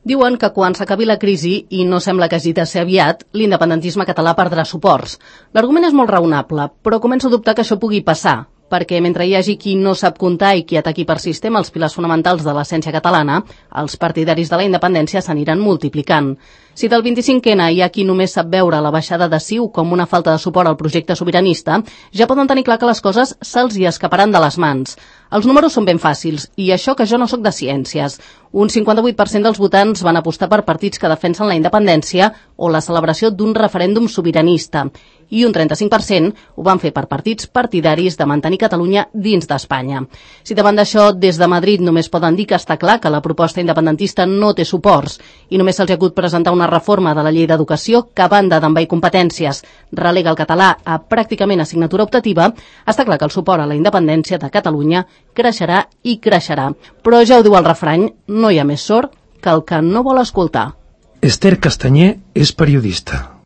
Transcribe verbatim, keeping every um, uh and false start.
Diuen que quan s'acabi la crisi, i no sembla que hagi de ser aviat, l'independentisme català perdrà suports. L'argument és molt raonable, però començo a dubtar que això pugui passar, perquè mentre hi hagi qui no sap comptar i qui ataqui per sistema els pilars fonamentals de l'essència catalana, els partidaris de la independència s'aniran multiplicant. Si del vint-i-cinc ena hi ha qui només sap veure la baixada de C I U com una falta de suport al projecte sobiranista, ja poden tenir clar que les coses se'ls hi escaparan de les mans. Els números són ben fàcils, i això que jo no sóc de ciències. Un cinquanta-vuit per cent dels votants van apostar per partits que defensen la independència o la celebració d'un referèndum sobiranista, i un trenta-cinc per cent ho van fer per partits partidaris de mantenir Catalunya dins d'Espanya. Si davant d'això, des de Madrid només poden dir que està clar que la proposta independentista no té suports i només se'ls ha hagut presentar una reforma de la llei d'educació que, a banda d'envair competències, relega el català a pràcticament assignatura optativa, està clar que el suport a la independència de Catalunya creixerà i creixerà. Però ja ho diu el refrany, no hi ha més sord que el que no vol escoltar. Esther Castanyer és periodista.